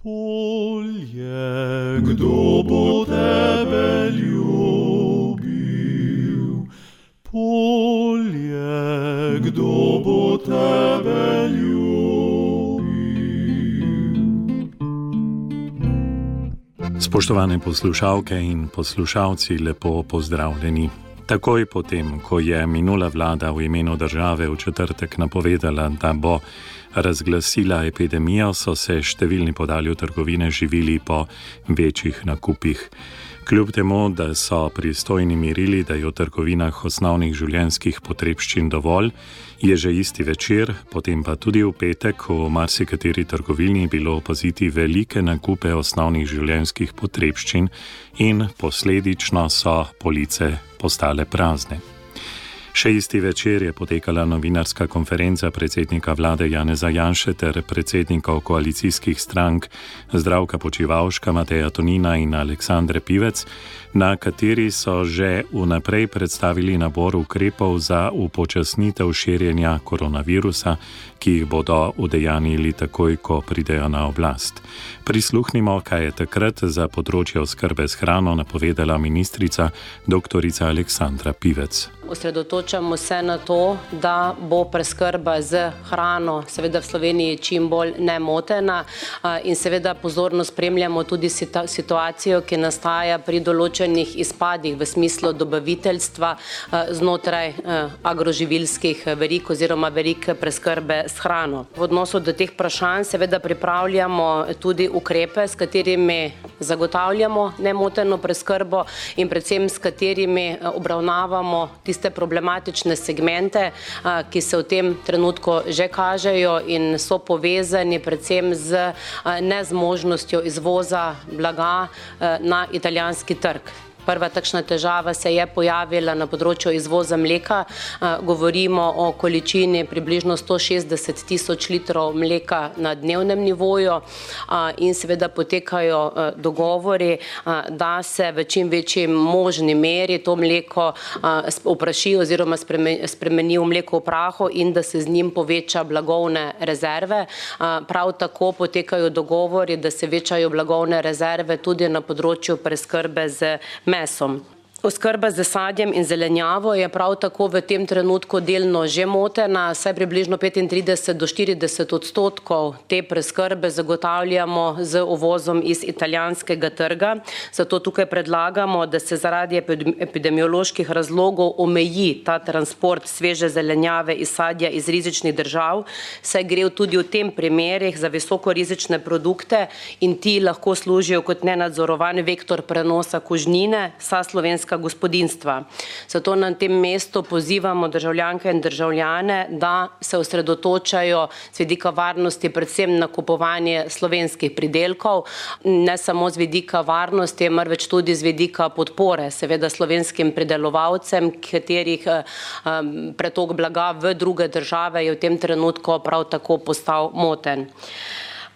Polje, kdo bo tebe ljubil? Polje, kdo bo tebe ljubil? Spoštovane poslušalke in poslušalci, lepo pozdravljeni. Takoj potem, ko je minula vlada v imenu države v četrtek napovedala, da bo razglasila epidemijo, so se številni podali v trgovine živili po večjih nakupih. Kljub temu, da so pristojni mirili, da je v trgovinah osnovnih življenjskih potrebščin dovolj, je že isti večer, potem pa tudi v petek, v marsikateri trgovini bilo opaziti velike nakupe osnovnih življenjskih potrebščin in posledično so police postale prazne. Še isti večer je potekala novinarska konferenca predsednika vlade Janeza Janše ter predsednikov koalicijskih strank Zdravka Počivalška, Mateja Tonina in Aleksandre Pivec, na kateri so že vnaprej predstavili nabor ukrepov za upočasnitev širjenja koronavirusa, ki jih bodo udejanjili takoj, ko pridejo na oblast. Prisluhnimo, kaj je takrat za področje oskrbe s hrano napovedala ministrica dr. Aleksandra Pivec. Osredotočamo se na to, da bo preskrba z hrano seveda v Sloveniji čim bolj nemotena in seveda pozorno spremljamo tudi situacijo, ki nastaja pri določenih izpadih v smislu dobaviteljstva znotraj agroživilskih verig oziroma verig preskrbe s hrano. V odnosu do teh vprašanj seveda pripravljamo tudi ukrepe, s katerimi zagotavljamo nemoteno preskrbo in predvsem s katerimi obravnavamo tiste problematične segmente, ki se v tem trenutku že kažejo in so povezani predvsem z nezmožnostjo izvoza blaga na italijanski trg. Prva takšna težava se je pojavila na področju izvoza mleka. Govorimo o količini približno 160 tisoč litrov mleka na dnevnem nivoju in seveda potekajo dogovori, da se v čim večji možni meri to mleko opraši oziroma spremeni v mleko v prahu in da se z njim poveča blagovne rezerve. Prav tako potekajo dogovori, da se večajo blagovne rezerve tudi na področju preskrbe z mesom. Oskrba z sadjem in zelenjavo je prav tako v tem trenutku delno že motena, saj približno 35 do 40% te preskrbe zagotavljamo z uvozom iz italijanskega trga. Zato tukaj predlagamo, da se zaradi epidemioloških razlogov omeji ta transport sveže zelenjave in sadja iz rizičnih držav, saj gre tudi v tem primerih za visoko rizične produkte in ti lahko služijo kot nenadzorovan vektor prenosa kužnine sa slovenska gospodinstva. Zato na tem mestu pozivamo državljanke in državljane, da se osredotočajo z vidika varnosti predvsem na kupovanje slovenskih pridelkov, ne samo z vidika varnosti, marveč tudi z vidika podpore, seveda slovenskim pridelovalcem, katerih pretok blaga v druge države je v tem trenutku prav tako postal moten.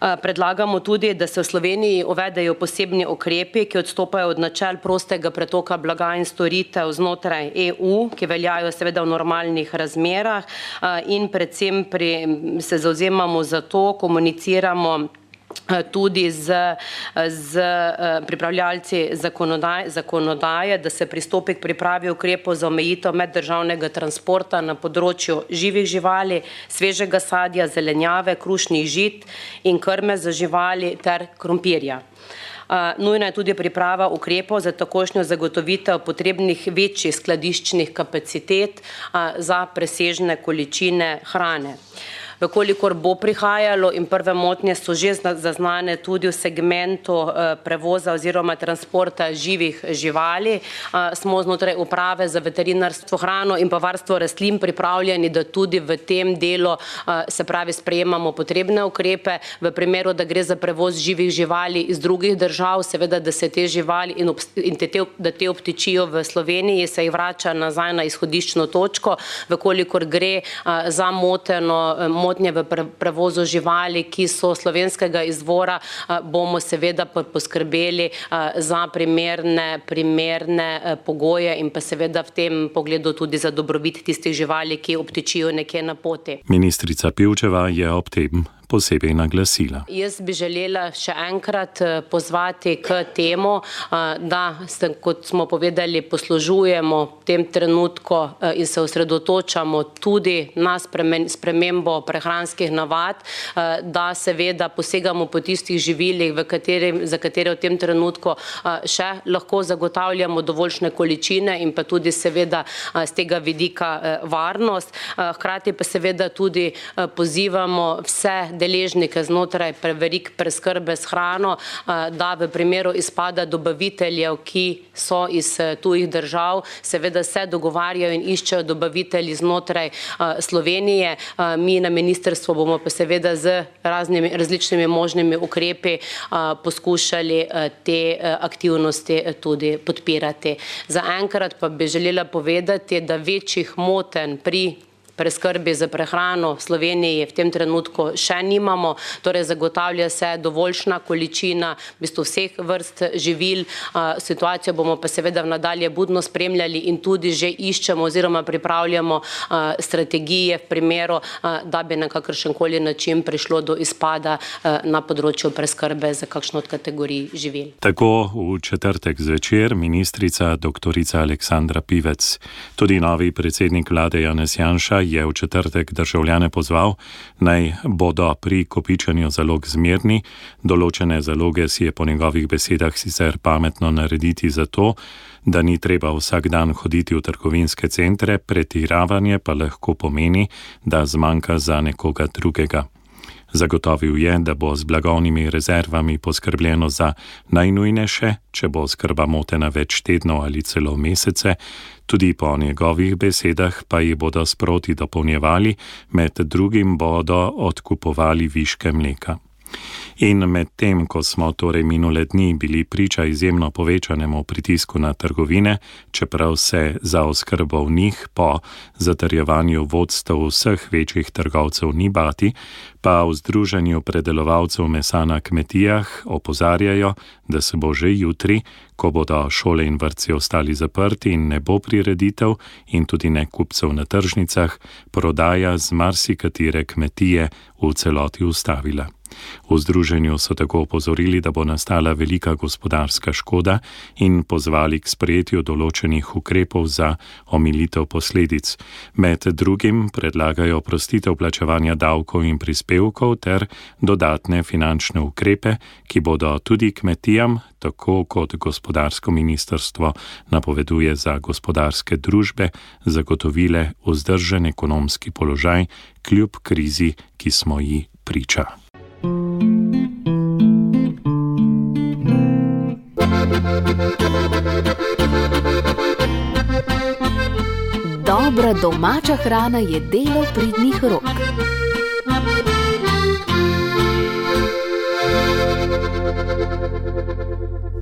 Predlagamo tudi, da se v Sloveniji uvedejo posebni ukrepi, ki odstopajo od načel prostega pretoka blaga in storitev znotraj EU, ki veljajo seveda v normalnih razmerah in predvsem se zavzemamo za to, komuniciramo tudi z pripravljalci zakonodaje, da se pristopi k pripravi ukrepov za omejitev meddržavnega transporta na področju živih živali, svežega sadja, zelenjave, krušnih žit in krme za živali ter krompirja. Nujna je tudi priprava ukrepov za takojšnjo zagotovitev potrebnih večjih skladiščnih kapacitet za presežne količine hrane. Vkolikor bo prihajalo in prve motnje so že zaznane tudi v segmentu prevoza oziroma transporta živih živali, smo znotraj uprave za veterinarstvo, hrano in pa varstvo rastlin pripravljeni, da tudi v tem delu se pravi sprejemamo potrebne ukrepe. V primeru, da gre za prevoz živih živali iz drugih držav, seveda, da se te živali in da te obtičijo v Sloveniji, se jih vrača nazaj na izhodiščno točko. Vkolikor gre za motnje v prevozu živali, ki so slovenskega izvora, bomo seveda poskrbeli za primerne pogoje in pa seveda v tem pogledu tudi za dobrobit tistih živali, ki obtičijo nekje na poti. Ministrica Pivčeva je ob tem posebej naglasila. Jaz bi želela še enkrat pozvati k temu, da, kot smo povedali, poslužujemo v tem trenutku in se osredotočamo tudi na spremembo prehranskih navad, da seveda posegamo po tistih živilih, za katere v tem trenutku še lahko zagotavljamo dovoljšne količine in pa tudi seveda z tega vidika varnost. Hkrati pa seveda tudi pozivamo vse deležnike znotraj verig preskrbe s hrano, da v primeru izpada dobaviteljev, ki so iz tujih držav, seveda se dogovarjajo in iščejo dobavitelji znotraj Slovenije. Mi na ministrstvu bomo pa seveda z različnimi možnimi ukrepi poskušali te aktivnosti tudi podpirati. Zaenkrat pa bi želela povedati, da večjih motenj pri preskrbi za prehrano v Sloveniji v tem trenutku še nimamo, torej zagotavlja se dovoljšna količina v bistvu vseh vrst živil. Situacijo bomo pa seveda nadalje budno spremljali in tudi že iščemo oziroma pripravljamo strategije v primeru, da bi na kakršenkoli način prišlo do izpada na področju preskrbe za kakšno od kategorij živil. Tako v četrtek zvečer ministrica doktorica Aleksandra Pivec. Tudi novi predsednik vlade Janez Janša je v četrtek državljane pozval, naj bodo pri kopičenju zalog zmerni. Določene zaloge si je po njegovih besedah sicer pametno narediti zato, da ni treba vsak dan hoditi v trgovinske centre, pretiravanje pa lahko pomeni, da zmanjka za nekoga drugega. Zagotovil je, da bo z blagovnimi rezervami poskrbljeno za najnujnejše, če bo oskrba motena več tednov ali celo mesece. Tudi po njegovih besedah pa ji bodo sproti dopolnjevali, med drugim bodo odkupovali viške mleka. In med tem, ko smo torej minule dni bili priča izjemno povečanemu pritisku na trgovine, čeprav se za oskrbo v njih po zatrjevanju vodstev vseh večjih trgovcev ni bati, pa v Združenju predelovalcev mesa na kmetijah opozarjajo, da se bo že jutri, ko bodo šole in vrtci ostali zaprti in ne bo prireditev in tudi ne kupcev na tržnicah, prodaja z marsikatere kmetije v celoti ustavila. V združenju so tako opozorili, da bo nastala velika gospodarska škoda in pozvali k sprejetju določenih ukrepov za omilitev posledic. Med drugim predlagajo oprostitev plačevanja davkov in prispevkov ter dodatne finančne ukrepe, ki bodo tudi kmetijam, tako kot gospodarsko ministrstvo napoveduje za gospodarske družbe, zagotovile vzdržen ekonomski položaj kljub krizi, ki smo ji priča. Dobra domača hrana je delo pridnih rok.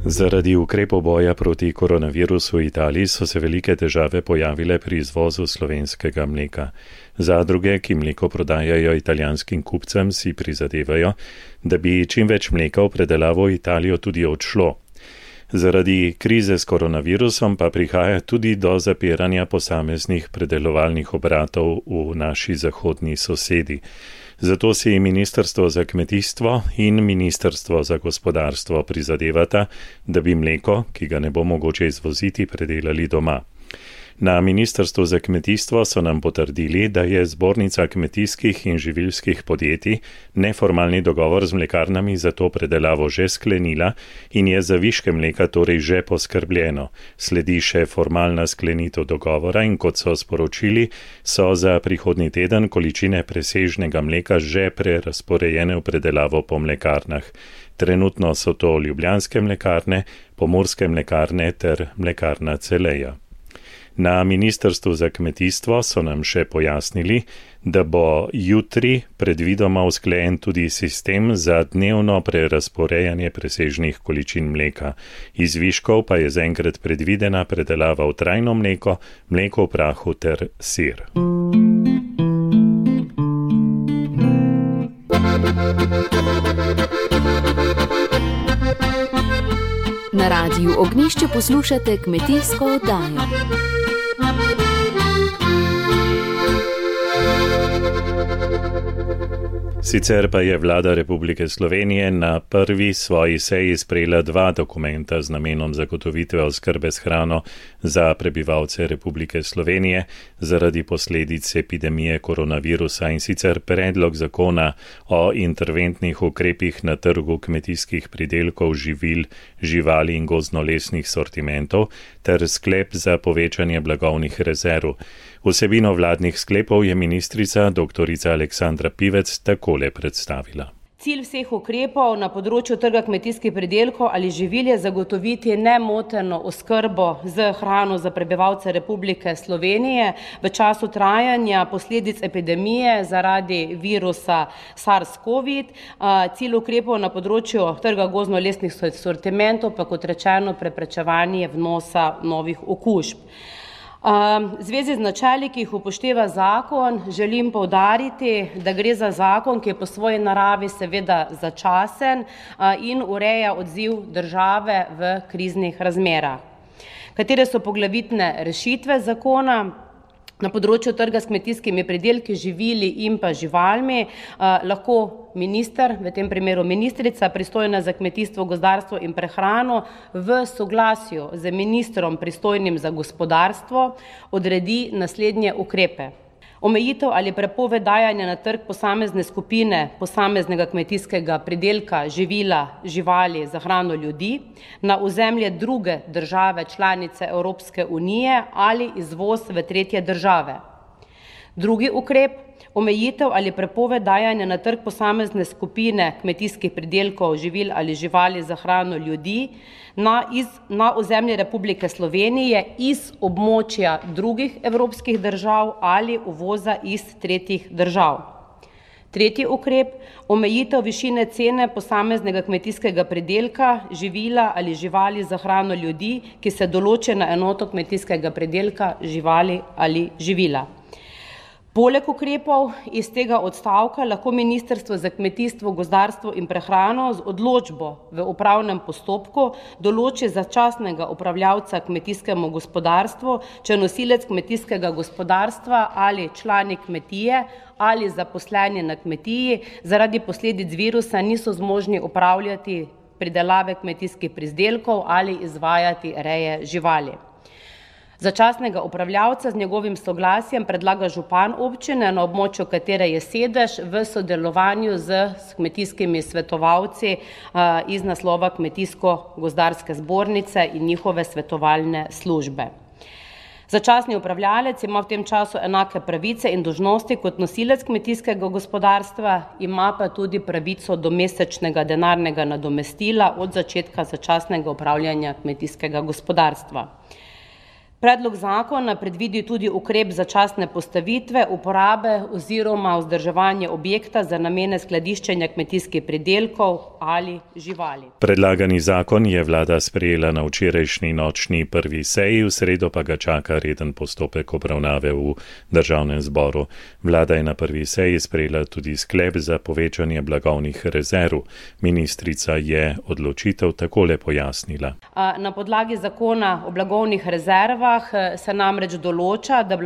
Zaradi ukrepov boja proti koronavirusu v Italiji so se velike težave pojavile pri izvozu slovenskega mleka. Zadruge, ki mleko prodajajo italijanskim kupcem, si prizadevajo, da bi čim več mleka v predelavo v Italijo tudi odšlo. Zaradi krize s koronavirusom pa prihaja tudi do zapiranja posameznih predelovalnih obratov v naši zahodni sosedi. Zato si Ministrstvo za kmetijstvo in Ministrstvo za gospodarstvo prizadevata, da bi mleko, ki ga ne bo mogoče izvoziti, predelali doma. Na Ministrstvu za kmetijstvo so nam potrdili, da je Zbornica kmetijskih in živilskih podjetij neformalni dogovor z mlekarnami za to predelavo že sklenila in je za viške mleka torej že poskrbljeno. Sledi še formalna sklenitev dogovora in kot so sporočili, so za prihodnji teden količine presežnega mleka že prerazporejene v predelavo po mlekarnah. Trenutno so to ljubljanske mlekarne, pomurske mlekarne ter mlekarna Celeja. Na Ministrstvu za kmetijstvo so nam še pojasnili, da bo jutri predvidoma usklajen tudi sistem za dnevno prerazporejanje presežnih količin mleka. Iz viškov pa je zaenkrat predvidena predelava v trajno mleko, mleko v prahu ter sir. Na Radiu Ognjišče poslušate kmetijsko oddajo. Sicer pa je vlada Republike Slovenije na prvi svoji seji sprejela 2 dokumenta z namenom zagotovitve oskrbe s hrano za prebivalce Republike Slovenije zaradi posledic epidemije koronavirusa, in sicer predlog zakona o interventnih ukrepih na trgu kmetijskih pridelkov, živil, živali in gozdno-lesnih sortimentov ter sklep za povečanje blagovnih rezerv. Vsebino vladnih sklepov je ministrica dr. Aleksandra Pivec takole predstavila. Cilj vseh ukrepov na področju trga kmetijskih pridelkov ali živil je zagotoviti nemoteno oskrbo z hrano za prebivalce Republike Slovenije v času trajanja posledic epidemije zaradi virusa SARS-CoV. Cilj ukrepov na področju trga gozdno-lesnih sortimentov pa, kot rečeno, preprečevanje vnosa novih okužb. V zvezi z načeli, ki jih upošteva zakon, želim poudariti, da gre za zakon, ki je po svoji naravi seveda začasen in ureja odziv države v kriznih razmerah. Katere so poglavitne rešitve zakona? Na področju trga s kmetijskimi pridelki, živili in pa živalmi lahko minister, v tem primeru ministrica, pristojna za kmetijstvo, gozdarstvo in prehrano, v soglasju z ministrom pristojnim za gospodarstvo odredi naslednje ukrepe. Omejitev ali prepoved dajanja na trg posamezne skupine posameznega kmetijskega pridelka, živila, živali za hrano ljudi na ozemlje druge države članice Evropske unije ali izvoz v tretje države. Drugi ukrep, omejitev ali prepoved dajanja na trg posamezne skupine kmetijskih pridelkov, živil ali živali za hrano ljudi na ozemlje Republike Slovenije iz območja drugih evropskih držav ali uvoza iz tretjih držav. Tretji ukrep, omejitev višine cene posameznega kmetijskega pridelka, živila ali živali za hrano ljudi, ki se določi na enoto kmetijskega pridelka, živali ali živila. Poleg ukrepov iz tega odstavka lahko Ministrstvo za kmetijstvo, gozdarstvo in prehrano z odločbo v upravnem postopku določi začasnega upravljavca kmetijskemu gospodarstvu, če nosilec kmetijskega gospodarstva ali člani kmetije ali zaposleni na kmetiji zaradi posledic virusa niso zmožni upravljati pridelave kmetijskih pridelkov ali izvajati reje živali. Začasnega upravljavca z njegovim soglasjem predlaga župan občine, na območju katere je sedež, v sodelovanju z kmetijskimi svetovalci iz naslova Kmetijsko-gozdarske zbornice in njihove svetovalne službe. Začasni upravljalec ima v tem času enake pravice in dolžnosti kot nosilec kmetijskega gospodarstva, ima pa tudi pravico do mesečnega denarnega nadomestila od začetka začasnega upravljanja kmetijskega gospodarstva. Predlog zakona predvidi tudi ukrep začasne postavitve, uporabe oziroma vzdrževanje objekta za namene skladiščenja kmetijskih pridelkov ali živali. Predlagani zakon je vlada sprejela na včerajšnji nočni prvi seji, v sredo pa ga čaka reden postopek obravnave v Državnem zboru. Vlada je na prvi seji sprejela tudi sklep za povečanje blagovnih rezerv. Ministrica je odločitev takole pojasnila. Na podlagi zakona o blagovnih rezervah se namreč določa, da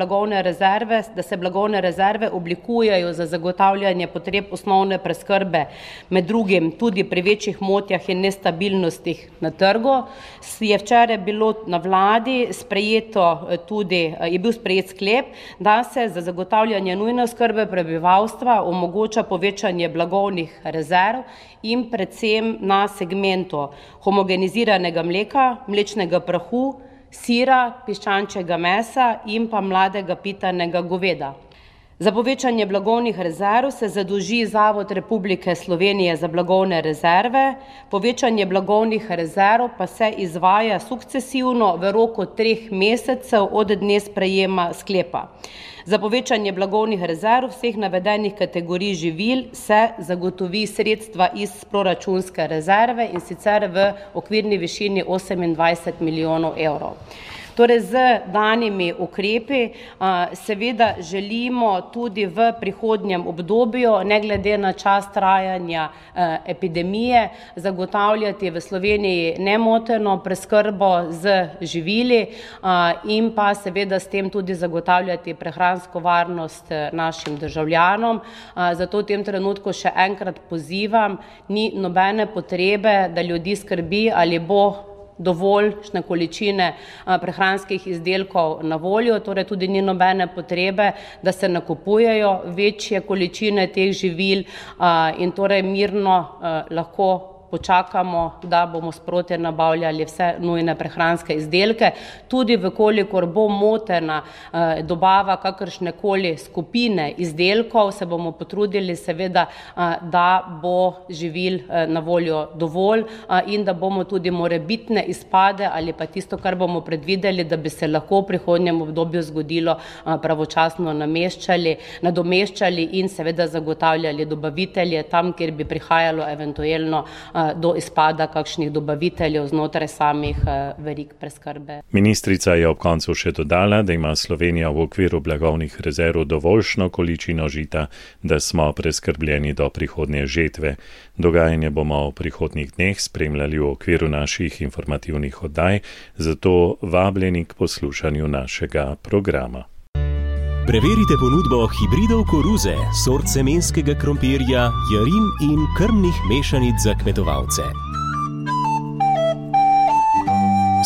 se blagovne rezerve oblikujejo za zagotavljanje potreb osnovne preskrbe, med drugim tudi pri večjih motnjah in nestabilnostih na trgu. Je včeraj bilo na vladi je bil sprejet sklep, da se za zagotavljanje nujne oskrbe prebivalstva omogoča povečanje blagovnih rezerv in predvsem na segmentu homogeniziranega mleka, mlečnega prahu, sira, piščančjega mesa in pa mladega pitanega goveda. Za povečanje blagovnih rezerv se zadolži Zavod Republike Slovenije za blagovne rezerve, povečanje blagovnih rezerv pa se izvaja sukcesivno v roku 3 mesecev od dne sprejema sklepa. Za povečanje blagovnih rezerv vseh navedenih kategorij živil se zagotovi sredstva iz proračunske rezerve, in sicer v okvirni višini 28 milijonov evrov. Torej, z danimi ukrepi seveda želimo tudi v prihodnjem obdobju, ne glede na čas trajanja epidemije, zagotavljati v Sloveniji nemoteno preskrbo z živili in pa seveda s tem tudi zagotavljati prehransko varnost našim državljanom. Zato v tem trenutku še enkrat pozivam, ni nobene potrebe, da ljudi skrbi, ali bo dovoljšne količine prehranskih izdelkov na voljo, torej tudi ni nobene potrebe, da se nakupujejo večje količine teh živil in torej mirno lahko počakamo, da bomo sproti nabavljali vse nujne prehranske izdelke. Tudi vkolikor bo motena dobava kakršnekoli skupine izdelkov, se bomo potrudili seveda, da bo živil na voljo dovolj in da bomo tudi morebitne izpade ali pa tisto, kar bomo predvideli, da bi se lahko v prihodnjem obdobju zgodilo, pravočasno nadomeščali in seveda zagotavljali dobavitelje tam, kjer bi prihajalo eventuelno do izpada kakšnih dobaviteljev znotraj samih verig preskrbe. Ministrica je ob koncu še dodala, da ima Slovenija v okviru blagovnih rezerv dovoljšno količino žita, da smo preskrbljeni do prihodnje žetve. Dogajanje bomo v prihodnjih dneh spremljali v okviru naših informativnih oddaj, zato vabljeni k poslušanju našega programa. Preverite ponudbo hibridov koruze, sort semenskega krompirja, jarin in krmnih mešanic za kmetovalce.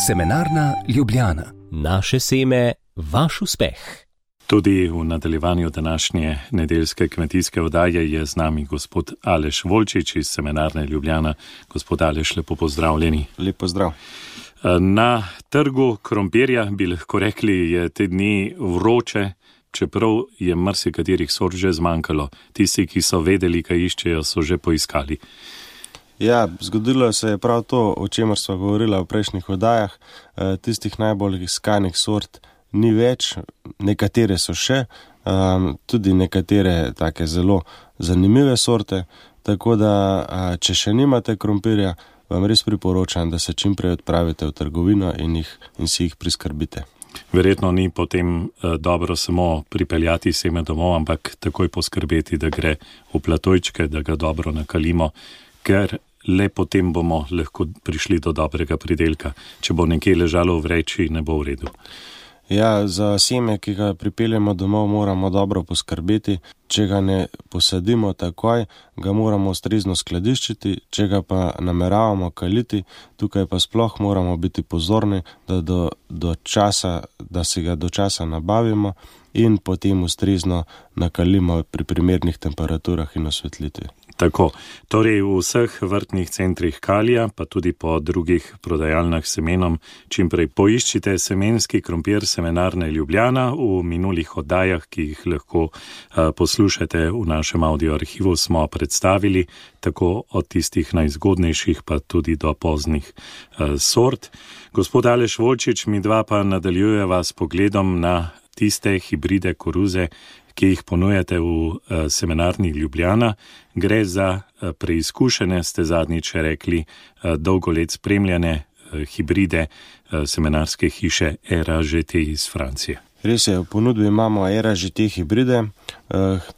Semenarna Ljubljana. Naše seme, vaš uspeh. Tudi v nadaljevanju današnje nedeljske kmetijske oddaje je z nami gospod Aleš Volčič iz Semenarne Ljubljana. Gospod Aleš, lepo pozdravljeni. Lep pozdrav. Na trgu krompirja, bi lahko rekli, je te dni vroče, čeprav je marsikaterih sort že zmanjkalo. Tisti, ki so vedeli, kaj iščejo, so že poiskali. Ja, zgodilo se je prav to, o čemer sva govorila v prejšnjih oddajah. Tistih najbolj iskanih sort ni več, nekatere so še, tudi nekatere take zelo zanimive sorte, tako da, če še nimate krompirja, vam res priporočam, da se čim prej odpravite v trgovino in si jih priskrbite. Verjetno ni potem dobro samo pripeljati seme domov, ampak takoj poskrbeti, da gre v platojčke, da ga dobro nakalimo, ker le potem bomo lahko prišli do dobrega pridelka. Če bo nekje ležalo v vreči, ne bo v redu. Ja, za seme, ki ga pripeljemo domov, moramo dobro poskrbeti. Če ga ne posadimo takoj, ga moramo ustrezno skladiščiti, če ga pa nameravamo kaliti, tukaj pa sploh moramo biti pozorni, da si ga do časa nabavimo in potem ustrezno nakalimo pri primernih temperaturah in osvetlitvi. Tako, torej v vseh vrtnih centrih Kalija, pa tudi po drugih prodajalnah semenom, čimprej poiščite semenski krompir Semenarne Ljubljana. V minulih oddajah, ki jih lahko poslušate v našem audio arhivu, smo predstavili tako od tistih najzgodnejših, pa tudi do poznih sort. Gospod Aleš Volčič, midva pa nadaljujeva s pogledom na tiste hibride koruze, ki jih ponujate v Semenarni Ljubljana. Gre za preizkušene, ste zadnjič rekli, dolgo let spremljane hibride semenarske hiše ERA-GT iz Francije. Res je, v ponudbi imamo ERA-GT hibride.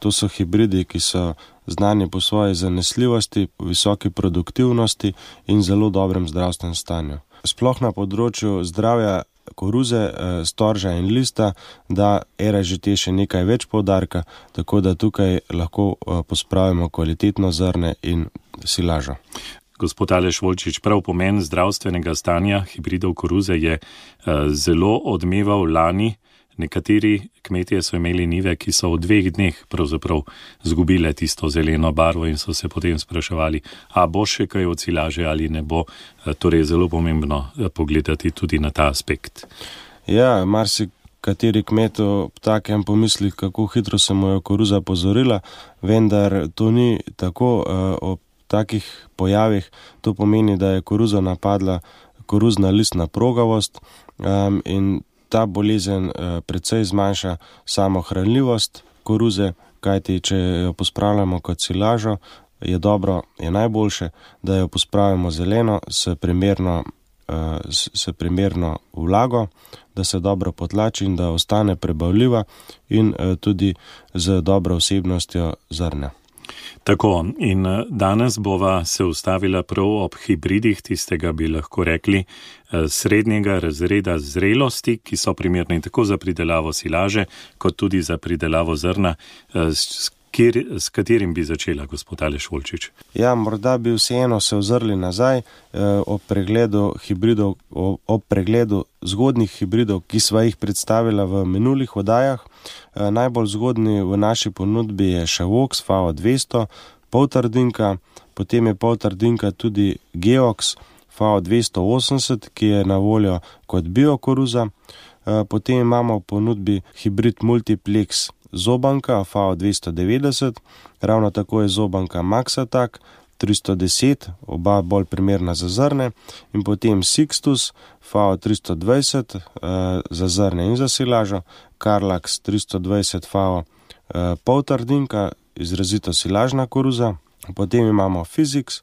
To so hibridi, ki so znani po svoji zanesljivosti, visoki produktivnosti in zelo dobrem zdravstvenem stanju. Sploh na področju zdravja koruze, storža in lista, da ERA-GT še nekaj več poudarka, tako da tukaj lahko pospravimo kvalitetno zrne in silažo. Gospod Aleš Volčič, prav pomen zdravstvenega stanja hibridov koruze je zelo odmeval lani. Nekateri kmetje so imeli njive, ki so v 2 dneh pravzaprav zgubile tisto zeleno barvo in so se potem spraševali, a bo še kaj od silaže ali ne bo. Torej je zelo pomembno pogledati tudi na ta aspekt. Ja, marsikateri kmet ob takem pomisli, kako hitro se mu je koruza pozorila, vendar to ni tako. Ob takih pojavih to pomeni, da je koruzo napadla koruzna listna progavost in ta bolezen precej zmanjša samo hranljivost koruze, kajti če jo pospravljamo kot silažo, je najboljše, da jo pospravimo zeleno s primerno se primerno vlago, da se dobro potlači in da ostane prebavljiva in tudi z dobro vsebnostjo zrnja. Tako, in danes bova se ustavila prav ob hibridih tistega, bi lahko rekli, srednjega razreda zrelosti, ki so primerni tako za pridelavo silaže, kot tudi za pridelavo zrna. S katerim bi začela, gospod Aleš Volčič? Ja, morda bi vseeno se ozrli nazaj ob pregledu zgodnih hibridov, ki sva jih predstavila v minulih oddajah. Najbolj zgodni v naši ponudbi je Šavoks FAO 200, poltrdinka, potem je poltrdinka tudi Geox FAO 280, ki je na voljo kot biokoruza. Potem imamo v ponudbi hibrid Multiplex Zobanka FAO 290, ravno tako je Zobanka Maxatak 310, oba bolj primerna za zrne, in potem Sixtus FAO 320 za zrne in za silažo, Carlax 320 FAO poltrdinka, izrazito silažna koruza, potem imamo Physics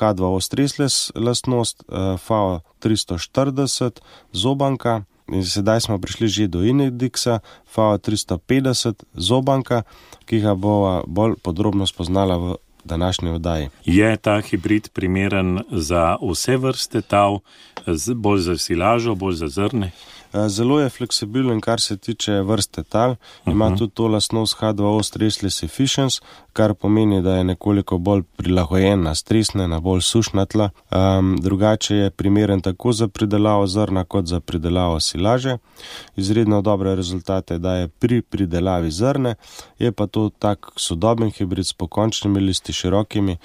H2O stressless lastnost FAO 340 Zobanka. In sedaj smo prišli že do Inidixa FAO 350 Zobanka, ki ga bova bolj podrobno spoznala v današnji oddaji. Je ta hibrid primeren za vse vrste tav, bolj za silažo, bolj za zrne? Zelo je fleksibilen, kar se tiče vrste tal. Ima tudi to lastnost H2O stressless efficiency, kar pomeni, da je nekoliko bolj prilagojen na stresne, na bolj sušna tla. Drugače je primeren tako za pridelavo zrna, kot za pridelavo silaže. Izredno dobre rezultate daje pri pridelavi zrne, je pa to tak sodoben hibrid s pokončnimi listi širokimi,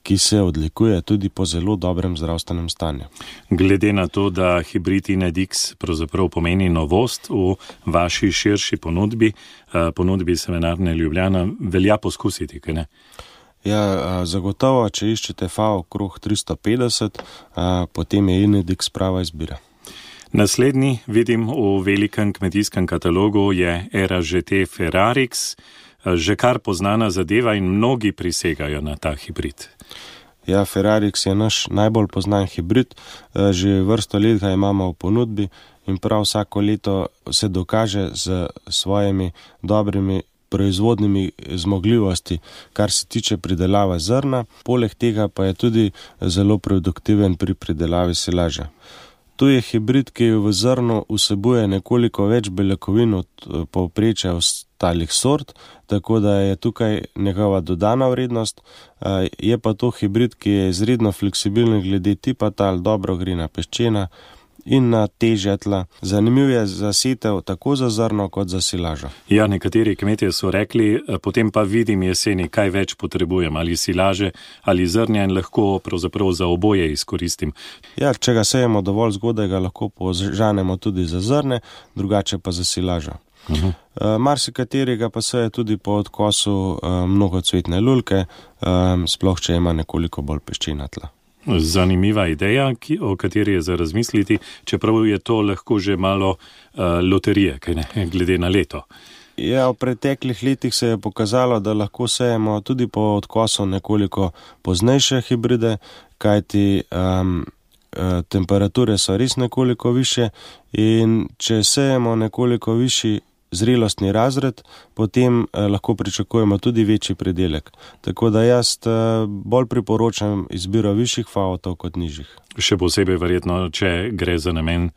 ki se odlikuje tudi po zelo dobrem zdravstvenem stanju. Glede na to, da hibrid Inedix pravzaprav pomeni novost v vaši širši ponudbi Semenarne Ljubljana, velja poskusiti, kaj ne? Ja, zagotovo, če iščete FAO okrog 350, potem je Inedix prava izbira. Naslednji, vidim, v velikem kmetijskem katalogu je Era GT Ferrarix, že kar poznana zadeva in mnogi prisegajo na ta hibrid. Ja, Ferrarix je naš najbolj poznan hibrid, že vrsto let ga imamo v ponudbi in prav vsako leto se dokaže z svojimi dobrimi proizvodnimi zmogljivosti, kar se tiče pridelave zrna, poleg tega pa je tudi zelo produktiven pri pridelavi silaže. Tu je hibrid, ki v zrnu vsebuje nekoliko več beljakovin od povprečja ostalih sort, tako da je tukaj njegova dodana vrednost. Je pa to hibrid, ki je izredno fleksibilen glede tipa tal, dobro gre na peščena in na težja tla. Zanimiv je za setev tako za zrno kot za silažo. Ja, nekateri kmetje so rekli, potem pa vidim jeseni, kaj več potrebujem, ali silaže ali zrnja, in lahko pravzaprav za oboje izkoristim. Ja, če ga sejemo dovolj zgodaj, ga lahko požanemo tudi za zrne, drugače pa za silažo. Marsikaterega pa seje tudi po odkosu mnogocvetne lulke, sploh če ima nekoliko bolj peščena tla. Zanimiva ideja, o kateri je za razmisliti, čeprav je to lahko že malo loterije, kaj ne, glede na leto. Ja, v preteklih letih se je pokazalo, da lahko sejemo tudi po odkosu nekoliko poznejše hibride, kajti temperature so res nekoliko više in če sejemo nekoliko višji zrelostni razred, potem lahko pričakujemo tudi večji pridelek. Tako da jaz bolj priporočam izbiro višjih faotov kot nižjih. Še posebej verjetno, če gre za namen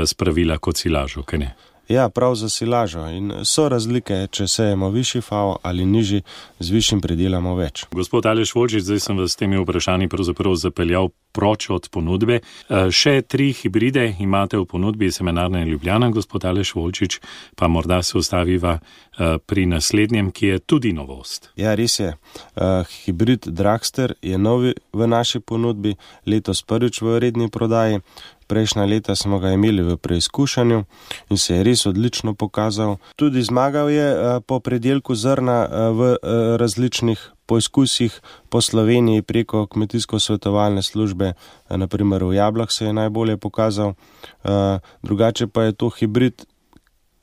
spravila kot silažo, kaj ne? Ja, prav za silažo. In so razlike, če sejemo višji FAO ali nižji, z višjim pridelamo več. Gospod Aleš Volčič, zdaj sem vas s temi vprašanji pravzaprav zapeljal proč od ponudbe. Še 3 hibride imate v ponudbi Semenarne Ljubljana, gospod Aleš Volčič, pa morda se ustaviva pri naslednjem, ki je tudi novost. Ja, res je. Hibrid Dragster je novi v naši ponudbi, letos prvič v redni prodaji. Prejšnja leta smo ga imeli v preizkušanju in se je res odlično pokazal. Tudi zmagal je po predelku zrna v različnih poizkusih po Sloveniji preko kmetijsko-svetovalne službe, naprimer v Jablah se je najbolje pokazal. Drugače pa je to hibrid,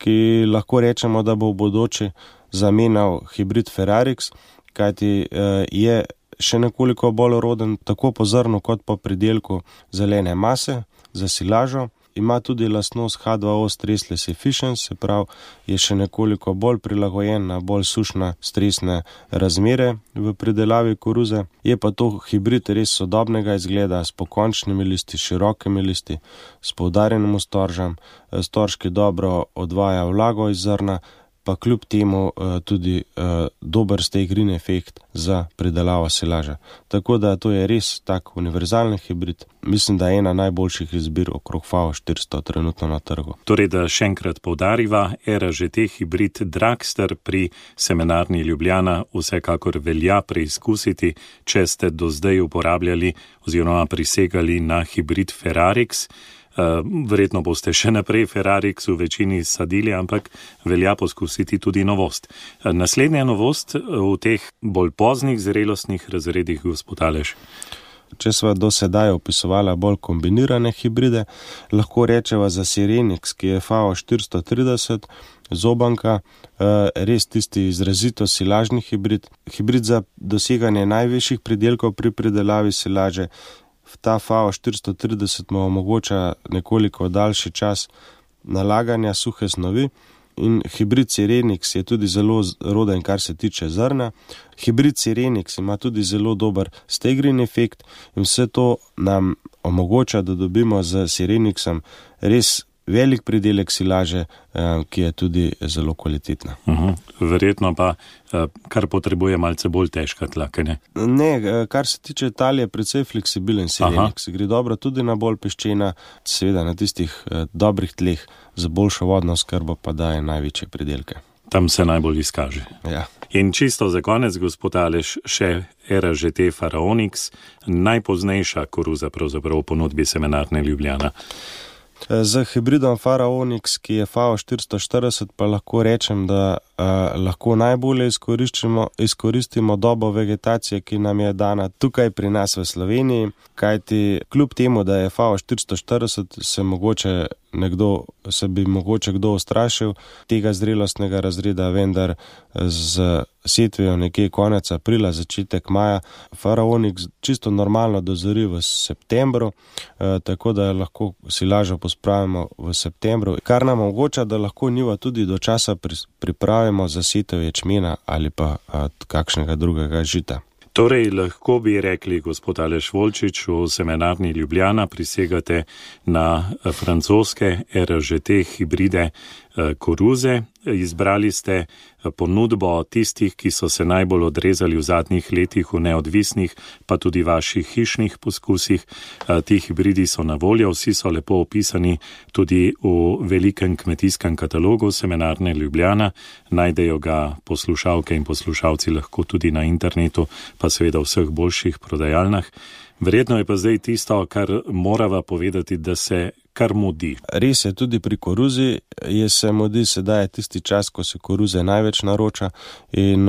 ki lahko rečemo, da bo v bodoče zamenjal hibrid Ferrarix, kajti je še nekoliko bolj roden tako po zrnu kot po pridelku zelene mase. za silažo. Ima tudi lastnost H2O stressless efficient, se pravi, je še nekoliko bolj prilagojen na bolj sušne stresne razmere v pridelavi koruze. Je pa to hibrid res sodobnega izgleda, s pokončnimi listi, širokimi listi, s poudarjenim storžem, storžki dobro odvaja vlago iz zrna, pa kljub temu tudi dober steigrin efekt za pridelavo silaže. Tako da to je res tak univerzalni hibrid. Mislim, da je ena najboljših izbir okrog FAO 400 trenutno na trgu. Torej, da še enkrat poudariva, RŽT hibrid Dragster pri Semenarni Ljubljana vsekakor velja preizkusiti, če ste do zdaj uporabljali oziroma prisegali na hibrid Ferrarix. Verjetno boste še naprej Ferrarix v večini sadili, ampak velja poskusiti tudi novost. Naslednja novost v teh bolj poznih zrelostnih razredih, gospod Aleš. Če sva do sedaj opisovala bolj kombinirane hibride, lahko rečeva za Sirenix, ki je FAO 430, zobanka, res tisti izrazito silažni hibrid. Hibrid za doseganje najvišjih pridelkov pri pridelavi silaže. Ta FAO 430 mu omogoča nekoliko daljši čas nalaganja suhe snovi in hibrid Sirenix je tudi zelo roden, kar se tiče zrna. Hibrid Sirenix ima tudi zelo dober steigrin efekt in vse to nam omogoča, da dobimo z Sirenixem res velik pridelek silaže, ki je tudi zelo kvalitetna. Verjetno pa, kar potrebuje malce bolj težka tla, kaj ne? Ne, kar se tiče tal je precej fleksibilen Sirenix. Gre dobro tudi na bolj peščena, seveda na tistih dobrih tleh za boljšo vodno skrbo pa daje največje pridelke. Tam se najbolj izkaže. Ja. In čisto za konec, gospod Aleš, še RŽT Faraonix, najpoznejša koruza pravzaprav v ponudbi Semenarne Ljubljana. Z hibridom Faraonix, ki je FAO 440, pa lahko rečem, da lahko najbolje izkoristimo dobo vegetacije, ki nam je dana tukaj pri nas v Sloveniji, kajti kljub temu, da je FAO 440, se bi mogoče kdo ustrašil tega zrelostnega razreda, vendar z setvijo nekje konec aprila, začetek maja, Faraonix čisto normalno dozori v septembru, tako da lahko silažo pospravimo v septembru, kar nam omogoča, da lahko njivo tudi do časa pripravimo za setev ječmena ali pa kakšnega drugega žita. Torej, lahko bi rekli, gospod Aleš Volčič, v Semenarni Ljubljana prisegate na francoske RŽT hibride koruze. Izbrali ste ponudbo tistih, ki so se najbolj odrezali v zadnjih letih v neodvisnih, pa tudi vaših hišnih poskusih. Ti hibridi so na voljo, vsi so lepo opisani tudi v velikem kmetijskem katalogu Semenarne Ljubljana. Najdejo ga poslušalke in poslušalci lahko tudi na internetu, pa seveda v vseh boljših prodajalnah. Verjetno je pa zdaj tisto, kar morava povedati, da se kar mudi. Res je, tudi pri koruzi se mudi, sedaj je tisti čas, ko se koruze največ naroča in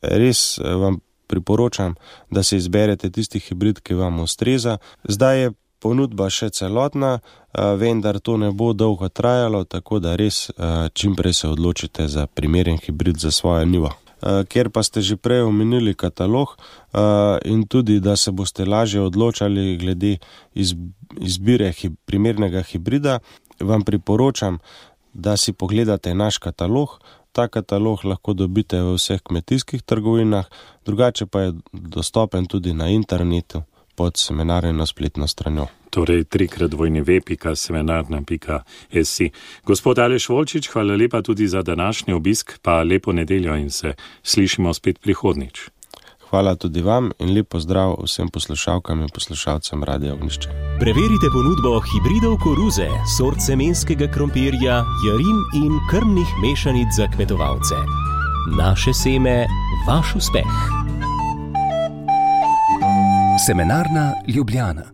res vam priporočam, da se izberete tisti hibrid, ki vam ustreza. Zdaj je ponudba še celotna, vendar to ne bo dolgo trajalo, tako da res čimprej se odločite za primeren hibrid za svojo njivo. Ker pa ste že prej omenili katalog in tudi, da se boste lažje odločali glede izbire primernega hibrida, vam priporočam, da si pogledate naš katalog. Ta katalog lahko dobite v vseh kmetijskih trgovinah, drugače pa je dostopen tudi na internetu pod Semenarno spletno stranjo. Torej, 3x2v.semenarna.si. Gospod Aleš Volčič, hvala lepa tudi za današnji obisk, pa lepo nedeljo in se slišimo spet prihodnič. Hvala tudi vam in lep pozdrav vsem poslušalkam in poslušalcem Radia Ognjišče. Preverite ponudbo hibridov koruze, sort semenskega krompirja, jarin in krmnih mešanic za kmetovalce. Naše seme, vaš uspeh. Semenarna Ljubljana.